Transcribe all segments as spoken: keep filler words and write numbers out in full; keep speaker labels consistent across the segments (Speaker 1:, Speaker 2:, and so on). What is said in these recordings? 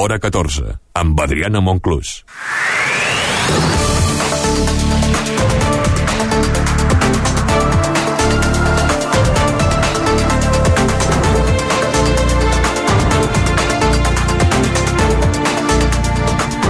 Speaker 1: Hora catorze, amb Adriana Monclús.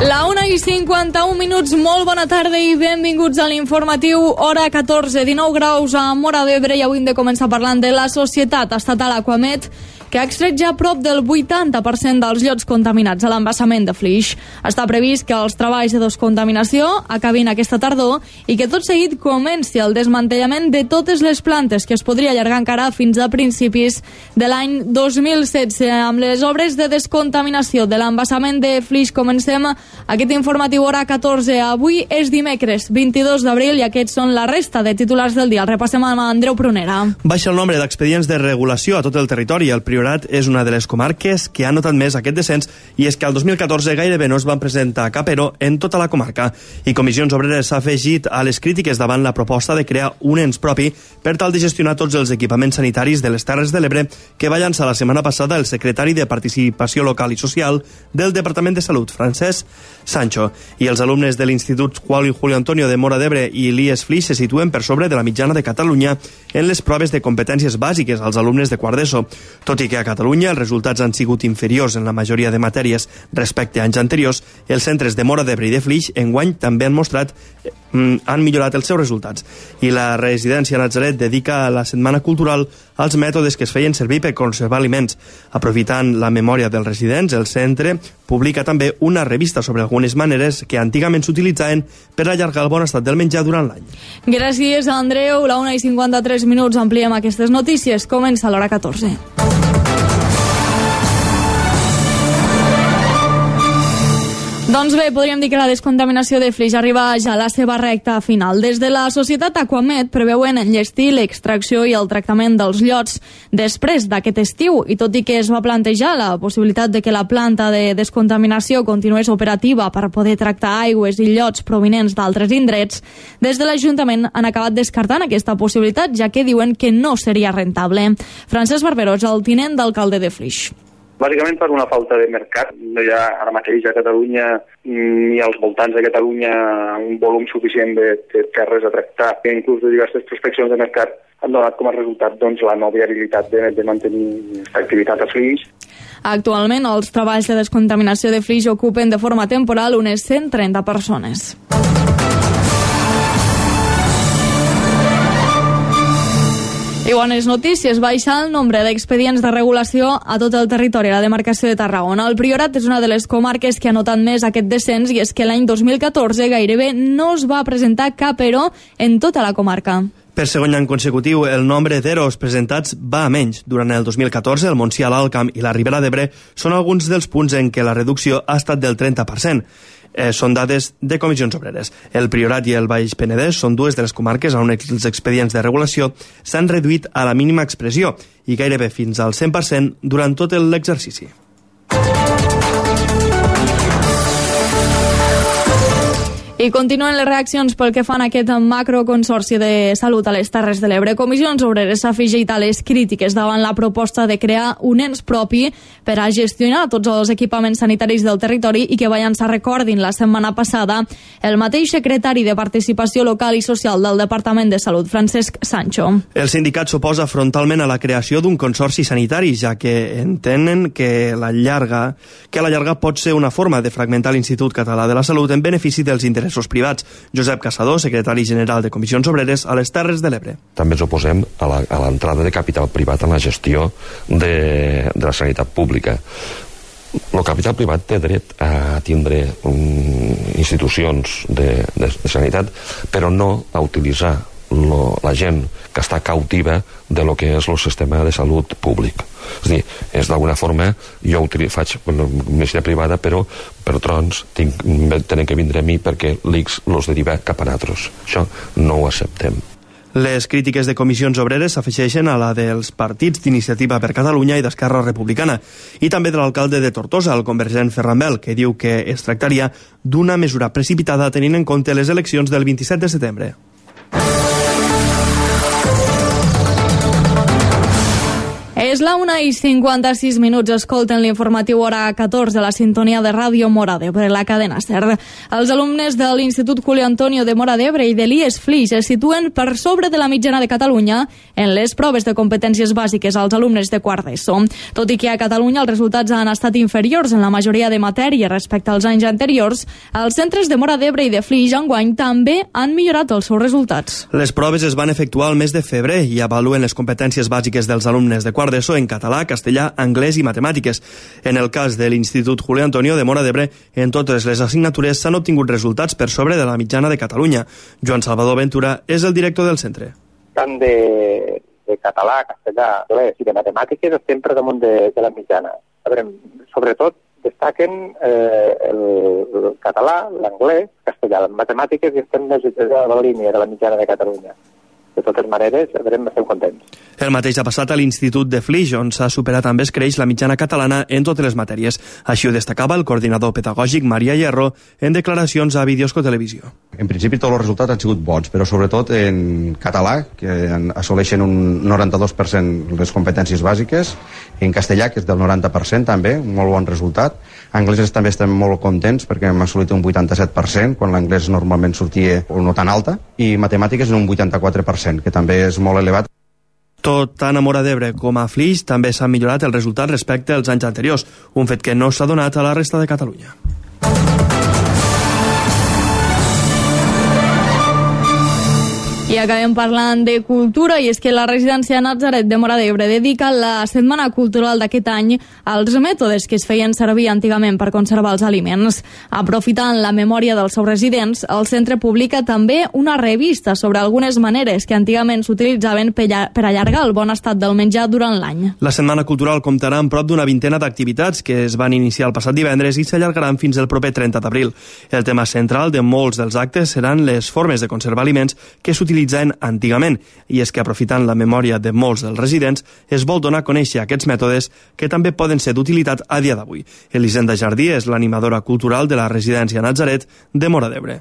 Speaker 2: La una i cinquanta-un minuts, molt bona tarda i benvinguts a l'informatiu Hora catorze, dinou graus a Móra d'Ebre, i avui hem de començar parlant de la societat estatal Aquamed, que ha extret ja prop del vuitanta per cent dels llots contaminats a l'embassament de Flix. Està previst que els treballs de descontaminació acabin aquesta tardor i que tot seguit comenci el desmantellament de totes les plantes, que es podria allargar encara fins a principis de l'any dos mil setze. Amb les obres de descontaminació de l'embassament de Flix comencem aquest informatiu Hora catorze. Avui és dimecres vint-i-dos d'abril i aquests són la resta de titulars del dia. El repassem amb Andreu Prunera.
Speaker 3: Baixa el nombre d'expedients de regulació a tot el territori. El Priorat és una de les comarques que ha notat més aquest descens, i és que el dos mil catorze gairebé no es van presentar cap ero en tota la comarca. I Comissions Obreres s'ha afegit a les crítiques davant la proposta de crear un ens propi per tal de gestionar tots els equipaments sanitaris de les Terres de l'Ebre que va llançar la setmana passada el secretari de Participació Local i Social del Departament de Salut, Francesc Sancho. I els alumnes de l'Institut Juan y Julio Antonio de Móra d'Ebre i l'I E S Flix se situen per sobre de la mitjana de Catalunya en les proves de competències bàsiques als alumnes de quart d'ESO, tot i que a Catalunya els resultats han sigut inferiors en la majoria de matèries respecte a anys anteriors. Els centres de Móra d'Ebre i de Flix enguany també han mostrat eh, han millorat els seus resultats. I la residència Natzaret dedica la setmana cultural als mètodes que es feien servir per conservar aliments. Aprofitant la memòria dels residents, el centre publica també una revista sobre algunes maneres que antigament s'utilitzaven per allargar el bon estat del menjar durant l'any.
Speaker 2: Gràcies, Andreu. La una i cinquanta-tres minuts ampliem aquestes notícies. Comença l'Hora catorze. Doncs bé, podríem dir que la descontaminació de Flix arriba ja a la seva recta final. Des de la societat Aquamed preveuen enllestir l'extracció i el tractament dels llots després d'aquest estiu, i tot i que es va plantejar la possibilitat de que la planta de descontaminació continués operativa per poder tractar aigües i llots provinents d'altres indrets, des de l'Ajuntament han acabat descartant aquesta possibilitat, ja que diuen que no seria rentable. Francesc Barberó és el tinent d'alcalde de Flix.
Speaker 4: Bàsicament per una falta de mercat. No hi ha ara mateix a Catalunya ni als voltants de Catalunya un volum suficient de, de terres a tractar. Inclús de diverses prospeccions de mercat han donat com a resultat doncs, la no viabilitat de, de mantenir aquesta activitat a Flix.
Speaker 2: Actualment, els treballs de descontaminació de Flix ocupen de forma temporal unes cent trenta persones. I bones notícies, baixa el nombre d'expedients de regulació a tot el territori, a la demarcació de Tarragona. El Priorat és una de les comarques que ha notat més aquest descens, i és que l'any dos mil catorze gairebé no es va presentar cap ero en tota la comarca.
Speaker 3: Per segon any consecutiu, el nombre d'eros presentats va a menys. Durant el dos mil catorze, el Montsià, l'Alt Camp i la Ribera d'Ebre són alguns dels punts en què la reducció ha estat del trenta per cent. Eh, són dades de Comissions Obreres. El Priorat i el Baix Penedès són dues de les comarques on els expedients de regulació s'han reduït a la mínima expressió i gairebé fins al cent per cent durant tot l'exercici.
Speaker 2: I continuen les reaccions pel que fan a aquest macroconsorci de salut a les Terres de l'Ebre. Comissions Obreres s'ha afegit a les crítiques davant la proposta de crear un ens propi per a gestionar tots els equipaments sanitaris del territori i que va llançar, recordin, la setmana passada el mateix secretari de Participació Local i Social del Departament de Salut, Francesc Sancho.
Speaker 3: El sindicat s'oposa frontalment a la creació d'un consorci sanitari, ja que entenen que la llarga, que la llarga pot ser una forma de fragmentar l'Institut Català de la Salut en benefici dels interessos privats. Josep Caçador, secretari general de Comissions Obreres a les Terres de l'Ebre.
Speaker 5: També ens oposem a l'entrada de capital privat en la gestió de, de la sanitat pública. El capital privat té dret a tindre um, institucions de, de, de sanitat, però no a utilitzar lo, la gent que està cautiva de lo que és el sistema de salut públic. És a dir, és d'alguna forma, jo util, faig medicina privada, però per trons tinc, tenen que vindre a mi perquè l'I C S los deriva cap a nosaltres. Això no ho acceptem.
Speaker 3: Les crítiques de Comissions Obreres s'afegeixen a la dels partits d'Iniciativa per Catalunya i d'Esquerra Republicana, i també de l'alcalde de Tortosa, el convergent Ferran Bel, que diu que es tractaria d'una mesura precipitada tenint en compte les eleccions del vint-i-set de setembre.
Speaker 2: És la una i cinquanta-sis minuts. Escolten l'informatiu hora catorze, la sintonia de Ràdio Móra d'Ebre, la cadena SER. Els alumnes de l'Institut Julio Antonio de Móra d'Ebre i de l'I E S Flix es situen per sobre de la mitjana de Catalunya en les proves de competències bàsiques als alumnes de quart d'ESO. Tot i que a Catalunya els resultats han estat inferiors en la majoria de matèries respecte als anys anteriors, els centres de Móra d'Ebre i de Flix enguany també han millorat els seus resultats.
Speaker 3: Les proves es van efectuar al mes de febrer i avaluen les competències bàsiques dels alumnes de quart d'ESO en català, castellà, anglès i matemàtiques. En el cas de l'Institut Julio Antonio de Móra d'Ebre, en totes les assignatures s'han obtingut resultats per sobre de la mitjana de Catalunya. Joan Salvador Ventura és el director del centre.
Speaker 6: Tant de, de català, castellà, anglès i de matemàtiques estem per damunt de, de la mitjana. A veure, sobretot destaquen eh, el, el català, l'anglès, castellà, les matemàtiques i estem més a la línia de la mitjana de Catalunya. De totes maneres, estem contents.
Speaker 3: El mateix ha passat a l'Institut de Flix, on s'ha superat amb escreix la mitjana catalana en totes les matèries. Així ho destacava el coordinador pedagògic Maria Hierro en declaracions a Videosco Televisió.
Speaker 7: En principi tots els resultats han sigut bons, però sobretot en català, que assoleixen un noranta-dos per cent les competències bàsiques, en castellà, que és del noranta per cent també, un molt bon resultat. Anglès també estem molt contents perquè hem assolit un vuitanta-set per cent, quan l'anglès normalment sortia no tan alta, i matemàtiques en un vuitanta-quatre per cent, que també és molt elevat.
Speaker 3: Tot tant a Móra d'Ebre com a Flix també s'han millorat els resultats respecte als anys anteriors, un fet que no s'ha donat a la resta de Catalunya.
Speaker 2: I acabem parlant de cultura, i és que la residència Natzaret de Móra d'Ebre dedica la setmana cultural d'aquest any als mètodes que es feien servir antigament per conservar els aliments. Aprofitant la memòria dels seus residents, el centre publica també una revista sobre algunes maneres que antigament s'utilitzaven per allargar el bon estat del menjar durant l'any.
Speaker 3: La setmana cultural comptarà amb prop d'una vintena d'activitats que es van iniciar el passat divendres i s'allargaran fins el proper trenta d'abril. El tema central de molts dels actes seran les formes de conservar aliments que s'utilitzen antigament, i és que aprofitant la memòria de molts dels residents es vol donar a conèixer aquests mètodes que també poden ser d'utilitat a dia d'avui. Elisenda Jardí és l'animadora cultural de la residència Natzaret de Móra d'Ebre.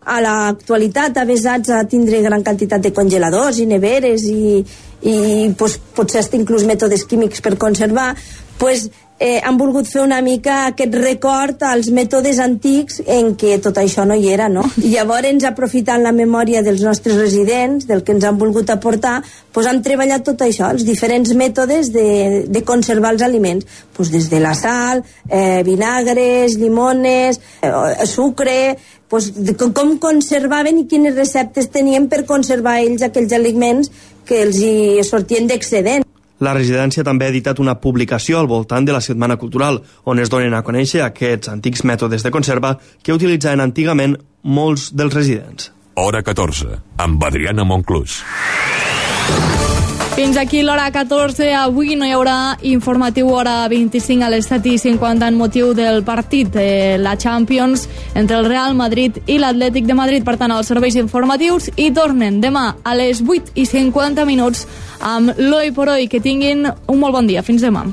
Speaker 8: A l'actualitat, avesats a tindre gran quantitat de congeladors i neveres i, i pues, potser hasta inclús mètodes químics per conservar, pues, eh, han volgut fer una mica aquest record als mètodes antics en què tot això no hi era, no? I llavors, aprofitant la memòria dels nostres residents, del que ens han volgut aportar, pues, han treballat tot això, els diferents mètodes de, de conservar els aliments, pues, des de la sal, eh, vinagres, llimones, eh, sucre, pues, de com conservaven i quines receptes tenien per conservar ells aquells aliments que els hi sortien d'excedent.
Speaker 3: La residència també ha editat una publicació al voltant de la Setmana Cultural, on es donen a conèixer aquests antics mètodes de conserva que utilitzaven antigament molts dels residents.
Speaker 1: Hora catorze, amb Adriana Monclús.
Speaker 2: Fins aquí l'hora catorze. Avui no hi haurà informatiu hora vint-i-cinc a les set i cinquanta en motiu del partit de la Champions entre el Real Madrid i l'Atlètic de Madrid. Per tant, els serveis informatius i tornen demà a les vuit i cinquanta minuts amb l'Oi por Hoy. Que tinguin un molt bon dia. Fins demà.